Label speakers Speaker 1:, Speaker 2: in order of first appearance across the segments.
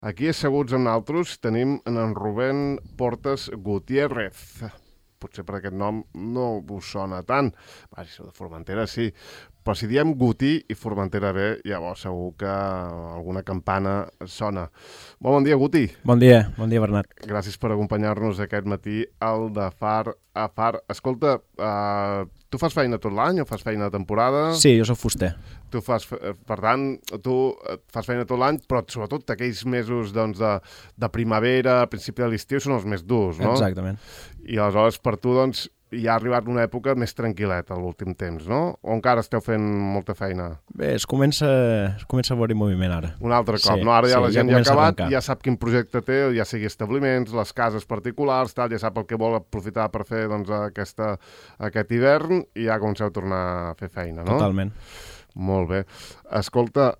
Speaker 1: Aquí asseguts amb nosaltres tenim en Rubén Portes Gutiérrez. Potser per aquest nom no us sona tant. Va, si sou de Formentera sí, però si diem Gutí i Formentera B, llavors segur que alguna campana sona. Bon dia, Guti.
Speaker 2: Bon dia, Bernat.
Speaker 1: Gràcies per acompanyar-nos aquest matí al de Far a Far. Escolta, tu fas feina tot l'any o fas feina de temporada?
Speaker 2: Sí, jo soc fuster.
Speaker 1: Tu fas, per tant, tu fas feina tot l'any, però sobretot aquells mesos doncs, de primavera, a principi de l'estiu, són els més durs, no?
Speaker 2: Exactament.
Speaker 1: I aleshores per tu doncs, hi ha arribat una època més tranquil·leta a l'últim temps, no? O encara esteu fent molta feina?
Speaker 2: Bé, es comença a veure moviment ara.
Speaker 1: Un altre cop,
Speaker 2: Sí,
Speaker 1: no? Ara ja
Speaker 2: sí,
Speaker 1: la gent
Speaker 2: ja
Speaker 1: ja ha acabat,
Speaker 2: comença a
Speaker 1: ja sap quin projecte té, ja sigui establiments, les cases particulars, tal, ja sap el que vol aprofitar per fer doncs, aquest hivern i ja comenceu a tornar a fer feina, no?
Speaker 2: Totalment.
Speaker 1: Molt bé. Escolta,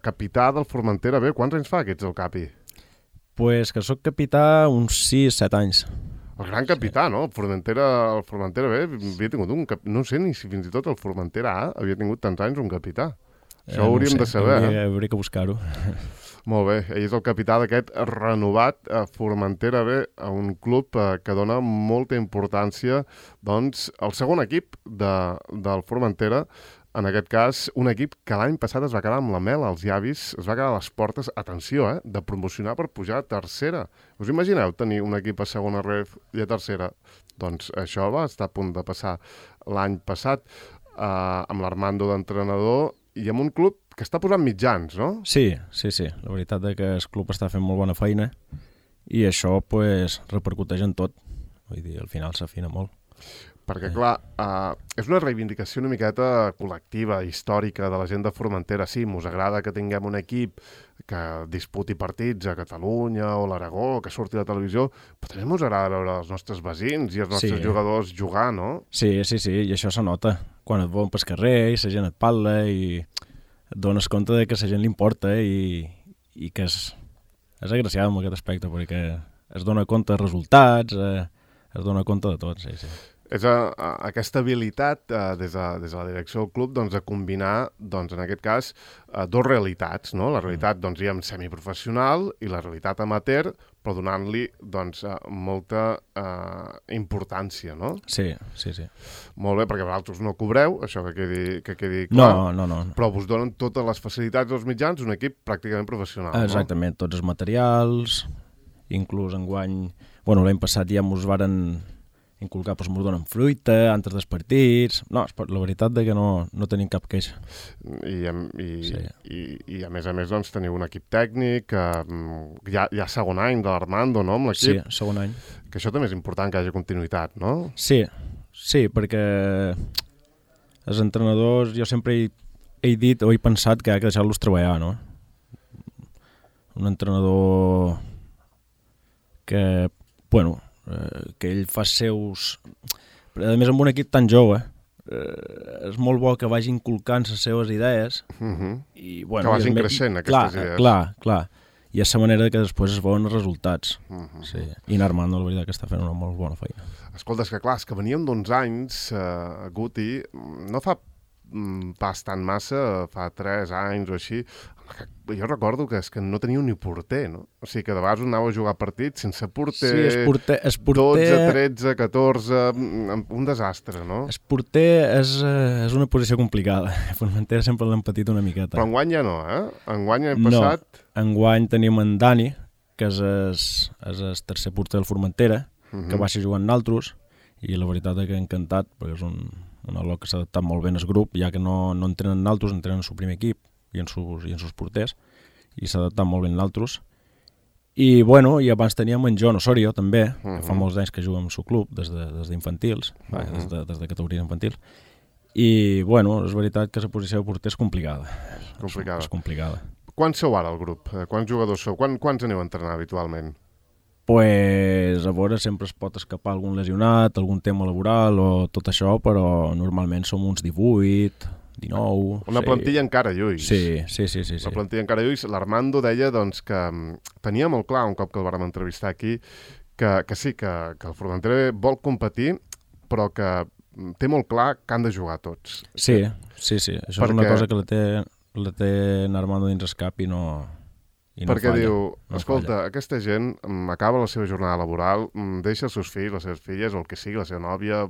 Speaker 1: capità del Formentera B, quants anys fa que ets el capi?
Speaker 2: Pues que sóc capità uns 6-7 anys.
Speaker 1: El gran capità, no? El Formentera B havia tingut un capità. No sé ni si fins i tot el Formentera A havia tingut tants anys un capità. Això ho hauríem de saber.
Speaker 2: Hauria que buscar-ho.
Speaker 1: Molt bé, ell és el capità d'aquest renovat Formentera B, un club que dona molta importància doncs, al segon equip del Formentera. En aquest cas, un equip que l'any passat es va quedar amb la mel als llavis, es va quedar a les portes, atenció, de promocionar per pujar a tercera. Us imagineu tenir un equip a segona ref i a tercera? Doncs això va estar a punt de passar l'any passat amb l'Armando d'entrenador i amb un club que està posant mitjans, no?
Speaker 2: Sí. La veritat és que el club està fent molt bona feina i això pues, repercuteix en tot. Vull dir, al final s'afina molt.
Speaker 1: Perquè, clar, és una reivindicació una miqueta col·lectiva, històrica de la gent de Formentera. Sí, mos agrada que tinguem un equip que disputi partits a Catalunya o l'Aragó, que surti a la televisió, però també mos agrada veure els nostres veïns i els nostres jugadors jugar, no?
Speaker 2: Sí, i això se nota. Quan et veuen pel carrer i la gent et parla i et dones compte de que a la gent li importa i que és agraciat en aquest aspecte, perquè es dona compte de resultats, es dona compte de tot, sí.
Speaker 1: És aquesta habilitat des de la direcció del club doncs, de combinar, doncs, en aquest cas, dues realitats, no? La realitat doncs, semiprofessional i la realitat amateur, però donant-li doncs, molta importància, no?
Speaker 2: Sí.
Speaker 1: Molt bé, perquè vosaltres no cobreu, això que quedi clar.
Speaker 2: No.
Speaker 1: Però us donen totes les facilitats dels mitjans, un equip pràcticament professional,
Speaker 2: Exactament, no? Tots els materials, inclús enguany... Bueno, l'any passat ja ens varen inculcar, doncs ens donen fruita antes dels partits. No, la veritat és que no tenim cap queixa.
Speaker 1: I a més, doncs, teniu un equip tècnic, hi ha segon any de l'Armando, no?, amb l'equip.
Speaker 2: Sí, segon any.
Speaker 1: Que això també és important, que hi hagi continuïtat, no?
Speaker 2: Sí, perquè els entrenadors, jo sempre he dit o he pensat que ha que deixar-los treballar, no? Un entrenador que, bueno, que ell fa seus... A més, amb un equip tan jove, és molt bo que vagi inculcant les seves idees i, bueno,
Speaker 1: que vagin creixent aquestes idees.
Speaker 2: Clar. I és la manera que després es veuen els resultats. Sí. I en Armando, la veritat, que està fent una molt bona feina.
Speaker 1: Escolta, és que veníem d'uns anys, Guti, no fa pas tan massa, fa 3 anys o així, jo recordo que és que no teníeu ni porter, no? O sigui que de vegades anàveu a jugar partits sense porter,
Speaker 2: sí, es porter
Speaker 1: 12, 13, 14, un desastre, no?
Speaker 2: El porter és una posició complicada. Formentera sempre l'hem patit una miqueta.
Speaker 1: Però enguany ja no, Enguany hem passat...
Speaker 2: No, enguany tenim en Dani, que és el tercer porter del Formentera, que va ser jugant amb nosaltres, i la veritat és que encantat, perquè és un alò que s'ha adaptat molt bé al grup, ja que no entrenen en altres, entrenen en el seu primer equip i en sus porters, i s'ha adaptat molt bé en altres. I, bueno, i abans teníem en John Osorio, també, que fa molts anys que juga amb el seu club, des d'infantils, des de categories infantils. I, bueno, és veritat que la posició de porter és complicada. És complicada.
Speaker 1: Quants sou ara al grup? Quants jugadors sou? Quants aneu a entrenar habitualment?
Speaker 2: Pues, a veure, sempre es pot escapar algun lesionat, algun tema laboral o tot això, però normalment som uns 18, 19...
Speaker 1: Una plantilla encara lluís.
Speaker 2: Sí.
Speaker 1: La plantilla encara lluís. L'Armando deia doncs, que tenia molt clar, un cop que el vàrem entrevistar aquí, que sí, que el Formentera vol competir, però que té molt clar que han de jugar tots.
Speaker 2: Sí. Això és una cosa que la té en Armando dins el cap i I no
Speaker 1: perquè
Speaker 2: falla,
Speaker 1: diu,
Speaker 2: no
Speaker 1: escolta,
Speaker 2: falla.
Speaker 1: aquesta gent acaba la seva jornada laboral, deixa els seus fills, les seves filles, o el que sigui, la seva nòvia,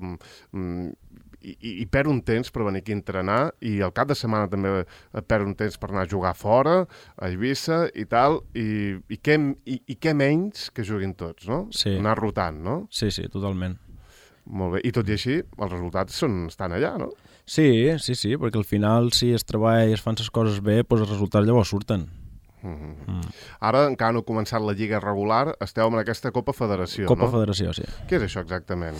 Speaker 1: i perd un temps per venir aquí a entrenar, i al cap de setmana també perd un temps per anar a jugar fora, a Eivissa i tal, i què menys que juguin tots, no?
Speaker 2: Sí.
Speaker 1: Anar rotant, no?
Speaker 2: Sí, totalment.
Speaker 1: Molt bé, i tot i així, els resultats estan allà, no?
Speaker 2: Sí, perquè al final si es treballa i es fan les coses bé, doncs els resultats llavors surten.
Speaker 1: Ara encara no ha començat la lliga regular, esteu en aquesta Copa Federació,
Speaker 2: Copa
Speaker 1: no?
Speaker 2: Federació, sí.
Speaker 1: Què és això exactament?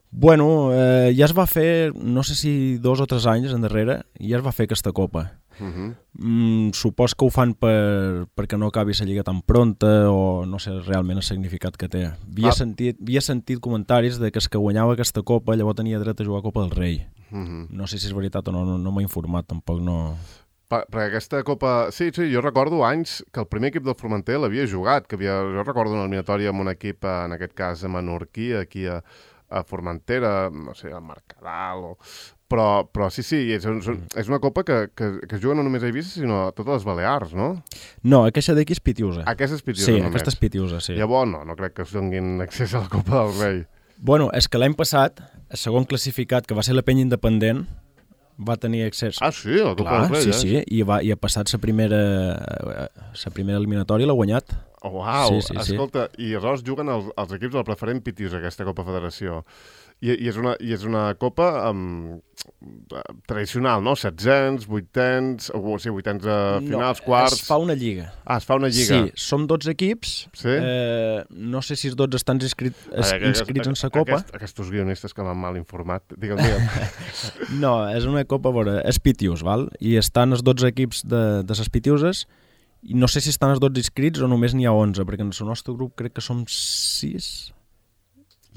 Speaker 2: Bueno, ja es va fer, no sé si 2 o 3 anys endarrere, ja es va fer aquesta Copa. Supos que ho fan perquè no acabi la lliga tan pronta o no sé realment el significat que té. Havia sentit comentaris de que el que guanyava aquesta Copa llavors tenia dret a jugar a Copa del Rei. No sé si és veritat o no m'he informat, tampoc no...
Speaker 1: Perquè aquesta Copa... Sí, jo recordo anys que el primer equip del Formentera l'havia jugat, jo recordo una eliminatòria amb un equip, en aquest cas a Menorquí, aquí a Formentera, no sé, a Mercadal, però sí, és una copa que es juga no només a Eivissa, sinó a totes les Balears, no?
Speaker 2: No, aquesta d'aquí és Pitiusa.
Speaker 1: Aquesta és Pitiusa
Speaker 2: només.
Speaker 1: Sí,
Speaker 2: aquesta és Pitiusa, sí.
Speaker 1: Llavors no crec que es donin accés a la Copa del Rei.
Speaker 2: Bueno, és que l'any passat, el segon classificat, que va ser la Penya Independent, va tenir accés...
Speaker 1: Ah, sí? A la Copa del Rei,
Speaker 2: sí, i ha passat la primera eliminatòria i l'ha guanyat.
Speaker 1: Oh, uau,
Speaker 2: sí.
Speaker 1: Escolta, i aleshores juguen els equips del preferent Pitiusa, aquesta Copa Federació. I és una copa tradicional, no? 700, 800, o sigui, 800 finals, quarts...
Speaker 2: Es fa una lliga.
Speaker 1: Ah, es fa una lliga.
Speaker 2: Sí, som 12 equips.
Speaker 1: Sí?
Speaker 2: No sé si els 12 estan inscrits en la copa.
Speaker 1: Aquests guionistes que m'han mal informat. Digue'm.
Speaker 2: No, és una copa, és Pitius, val? I estan els 12 equips de les Pitiuses, i no sé si estan els 12 inscrits o només n'hi ha 11, perquè en el nostre grup crec que som 6...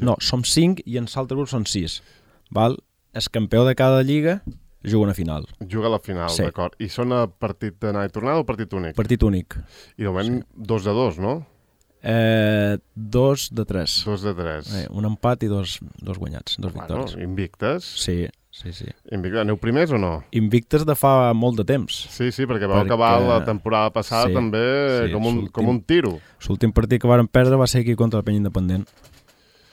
Speaker 2: No, som 5 i en l'altre grup són 6. Val? El campió de cada lliga juga una final.
Speaker 1: Juga a la final, sí. D'acord. I són a partit d'anar i tornada o partit únic?
Speaker 2: Partit únic.
Speaker 1: I de moment 2-2, no?
Speaker 2: 2-3.
Speaker 1: 2-3.
Speaker 2: Un empat i dos guanyats, dos victòries.
Speaker 1: Invictes?
Speaker 2: Sí.
Speaker 1: Invictes. Aneu primers o no?
Speaker 2: Invictes de fa molt de temps.
Speaker 1: Sí, perquè vau acabar la temporada passada també com un tiro.
Speaker 2: L'últim partit que vàrem perdre va ser aquí contra la Penya Independent.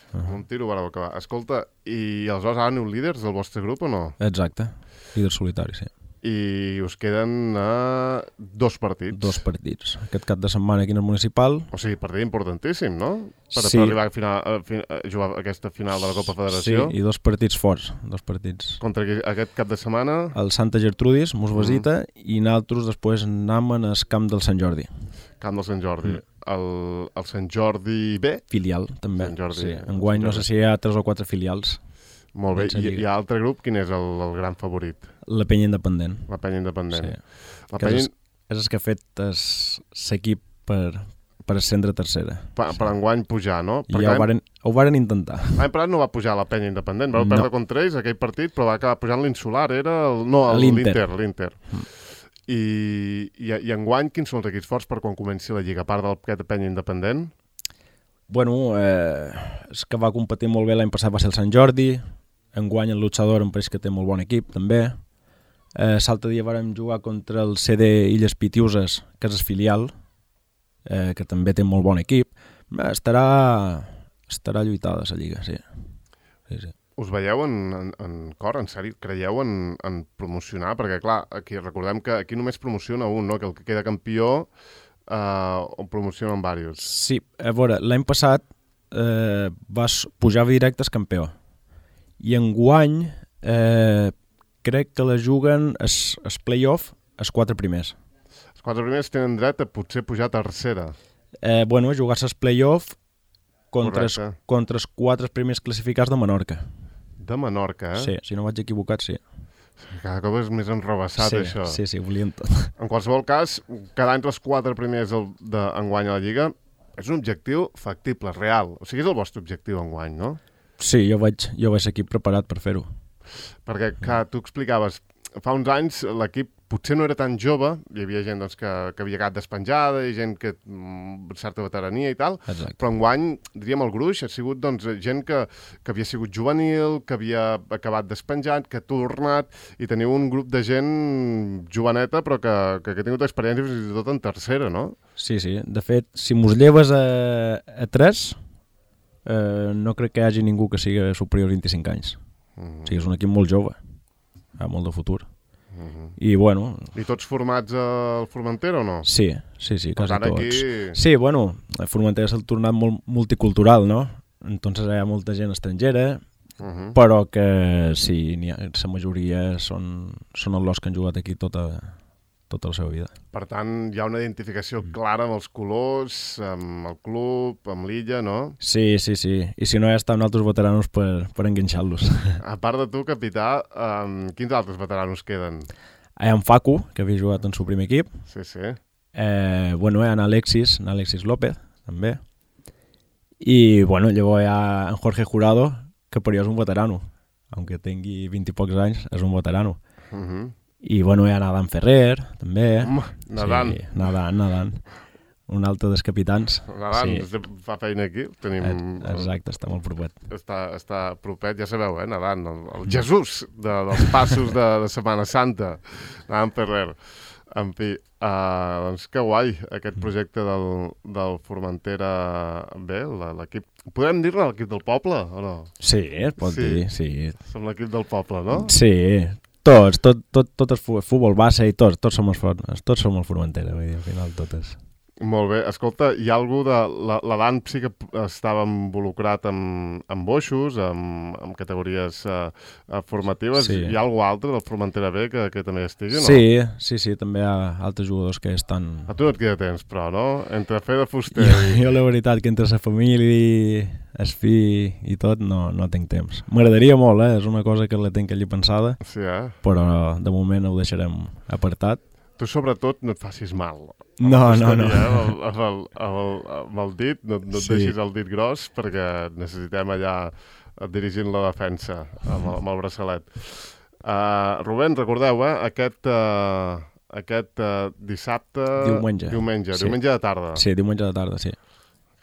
Speaker 1: Un tiro vareu acabar. Escolta, i aleshores ara aneu líders del vostre grup o no?
Speaker 2: Exacte, líder solitari, sí.
Speaker 1: I us queden 2 partits.
Speaker 2: 2 partits. Aquest cap de setmana aquí en el municipal.
Speaker 1: O sigui, partit importantíssim, no? Per arribar a jugar aquesta final de la Copa Federació.
Speaker 2: Sí, i 2 partits forts. 2 partits.
Speaker 1: Contra aquest cap de setmana?
Speaker 2: El Santa Gertrudis, mos visita, i nosaltres després anem al camp del Sant Jordi.
Speaker 1: Camp del Sant Jordi. El Sant Jordi B?
Speaker 2: Filial, també.
Speaker 1: Sant Jordi,
Speaker 2: sí. Enguany no sé si hi ha 3 o 4 filials.
Speaker 1: Molt bé. I l'altre grup, quin és el gran favorit?
Speaker 2: La Penya Independent.
Speaker 1: La Penya Independent.
Speaker 2: Sí. És el que ha fet l'equip per ascendre a tercera.
Speaker 1: Per enguany pujar, no?
Speaker 2: I ja ho varen intentar.
Speaker 1: L'any passat no va pujar la Penya Independent, vau perdre contra ells aquell partit, però va acabar pujant l'Insular, era l'Inter. I enguany, quins són els equips forts per quan comenci la lliga, a part d'aquest Penya Independent?
Speaker 2: Bueno, és que va competir molt bé l'any passat va ser el Sant Jordi, enguany el Luchador em pareix que té molt bon equip, també. L'altre dia vàrem jugar contra el CD Illes Pitiuses, que és el filial, que també té molt bon equip. Estarà lluitada la lliga, sí.
Speaker 1: Us veieu en cor, en sèrio? Creieu en promocionar? Perquè, clar, aquí recordem que aquí només promociona un, no? Que el que queda campió o promocionen diversos.
Speaker 2: Sí, a veure, l'any passat pujava directe el campió. I enguany crec que la juguen els play-off els 4 primers.
Speaker 1: Els 4 primers tenen dret a potser pujar a tercera.
Speaker 2: Bueno, jugar-se els play-off contra els 4 primers classificats de Menorca.
Speaker 1: De Menorca,
Speaker 2: Sí, si no vaig equivocat, sí.
Speaker 1: Cada cop és més enrebaçat, això.
Speaker 2: Sí, volien tot.
Speaker 1: En qualsevol cas, quedar entre els 4 primers d'enguany a la Lliga és un objectiu factible, real. O sigui, és el vostre objectiu enguany, no?
Speaker 2: Sí, jo vaig equip preparat per fer-ho.
Speaker 1: Perquè, clar, tu explicaves, fa uns anys l'equip potser no era tan jove, hi havia gent doncs, que havia quedat despenjada i gent que certa veterania i tal,
Speaker 2: Exacte.
Speaker 1: però enguany, diríem, el gruix ha sigut doncs, gent que havia sigut juvenil, que havia acabat despenjat, que ha tornat, i teniu un grup de gent joveneta però que ha tingut experiència fins i tot en tercera, no?
Speaker 2: Sí, sí. De fet, si mos lleves a 3, no crec que hi hagi ningú que sigui superior a 25 anys. O sigui, és un equip molt jove, amb molt de futur. I, bueno...
Speaker 1: I tots formats al Formentera o no?
Speaker 2: Sí, quasi tots.
Speaker 1: Aquí...
Speaker 2: Sí, bueno, el Formentera s'ha tornat molt multicultural, no? Entonces hi ha molta gent estrangera, però que sí, la majoria són els que han jugat aquí tota la seva vida.
Speaker 1: Per tant, hi ha una identificació clara amb els colors, amb el club, amb l'illa, no?
Speaker 2: Sí. I si no, ja estan altres veteranos per enganxar-los.
Speaker 1: A part de tu, capità, quins altres veteranos queden?
Speaker 2: Hi ha en Facu, que havia jugat en el seu primer equip.
Speaker 1: Sí.
Speaker 2: Bueno, hi ha en Alexis López, també. I, bueno, llavors hi ha en Jorge Jurado, que per jo és un veterano. Aunque tingui 20 i pocs anys, és un veterano. I, bueno, hi ha Nadan Ferrer, també.
Speaker 1: Nadan.
Speaker 2: Sí, Nadan. Un altre dels capitans.
Speaker 1: Nadan, fa feina aquí. Tenim...
Speaker 2: Exacte, està molt propet.
Speaker 1: Està propet, ja sabeu, Nadan, el Jesús dels passos de Setmana Santa. Nadan Ferrer. En fi, doncs que guai, aquest projecte del Formentera B, l'equip... Podem dir-ne l'equip del poble, o no?
Speaker 2: Sí, es pot dir, sí.
Speaker 1: Som l'equip del poble, no?
Speaker 2: Sí, tot el futbol base i tots som el Formentera, vull dir, al final totes.
Speaker 1: Molt bé. Escolta, hi ha algú de... L'Adam sí que estava involucrat amb boixos, amb categories formatives.
Speaker 2: Sí.
Speaker 1: Hi ha algú altre del Formentera B que també estigui, no?
Speaker 2: Sí, també hi ha altres jugadors que estan...
Speaker 1: A tu no et queda temps, però, no? Entre fer de fuster...
Speaker 2: Jo la veritat que entre la família, el fill i tot no tinc temps. M'agradaria molt, és una cosa que la tinc allí pensada,
Speaker 1: sí,
Speaker 2: però de moment ho deixarem apartat.
Speaker 1: Tu, sobretot, no et facis mal.
Speaker 2: No.
Speaker 1: Amb el dit, no et deixis el dit gros, perquè necessitem allà dirigint la defensa amb el braçalet. Rubén, recordeu, aquest dissabte...
Speaker 2: Diumenge.
Speaker 1: Sí. Diumenge de tarda.
Speaker 2: Sí, diumenge de tarda, sí.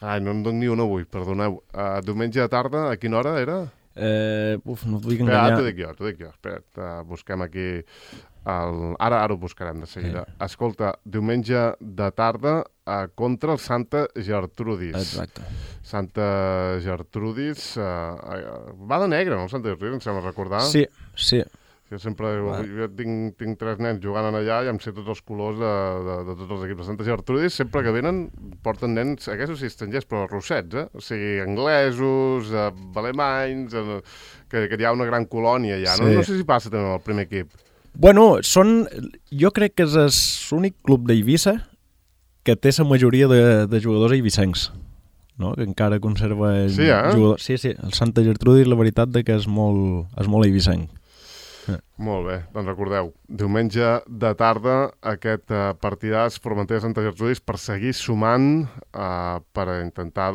Speaker 1: Ai, no en dono ni un avui, perdoneu. Diumenge de tarda, a quina hora era?
Speaker 2: No t'ho dic enganyar.
Speaker 1: T'ho dic jo. Espera't, busquem aquí... Ara ho buscarem de seguida. Sí. Escolta, diumenge de tarda contra el Santa Gertrudis.
Speaker 2: Exacte.
Speaker 1: Santa Gertrudis va de negre, no? Santa Gertrudis, em sembla recordar.
Speaker 2: Sí.
Speaker 1: Jo tinc 3 nens jugant allà i em sé tots els colors de tots els equips. Santa Gertrudis, sempre que venen, porten nens, aquests sí estrangers, però rossets, O sigui, anglesos, alemanys, que hi ha una gran colònia allà. Sí. No sé si passa també amb el primer equip.
Speaker 2: Bueno, jo crec que és l'únic club d'Eivissa que té la majoria de jugadors eivissencs, no? Que encara conserva jugadors. Sí, el Santa Gertrudis, la veritat que és molt eivissenc.
Speaker 1: Molt bé, doncs recordeu, diumenge de tarda aquest partidàs Formentera Santa Gertrudis per seguir sumant, per intentar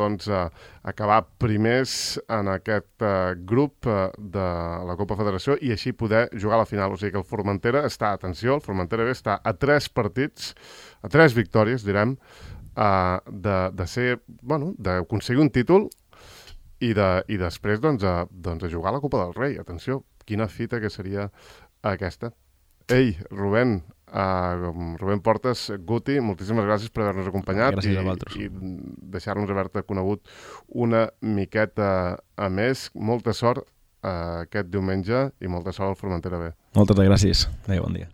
Speaker 1: acabar primers en aquest grup de la Copa Federació i així poder jugar a la final. O sigui que el Formentera està, atenció, el Formentera B està a 3 partits, a 3 victòries, direm, d'aconseguir un títol i després a jugar a la Copa del Rei. Atenció, quina fita que seria aquesta. Ei, Rubén Portes, Guti, moltíssimes gràcies per haver-nos acompanyat.
Speaker 2: Gràcies a vosaltres.
Speaker 1: I deixar-nos haver-te conegut una miqueta a més. Molta sort aquest diumenge i molta sort al Formentera B.
Speaker 2: Moltes gràcies. Adéu, bon dia.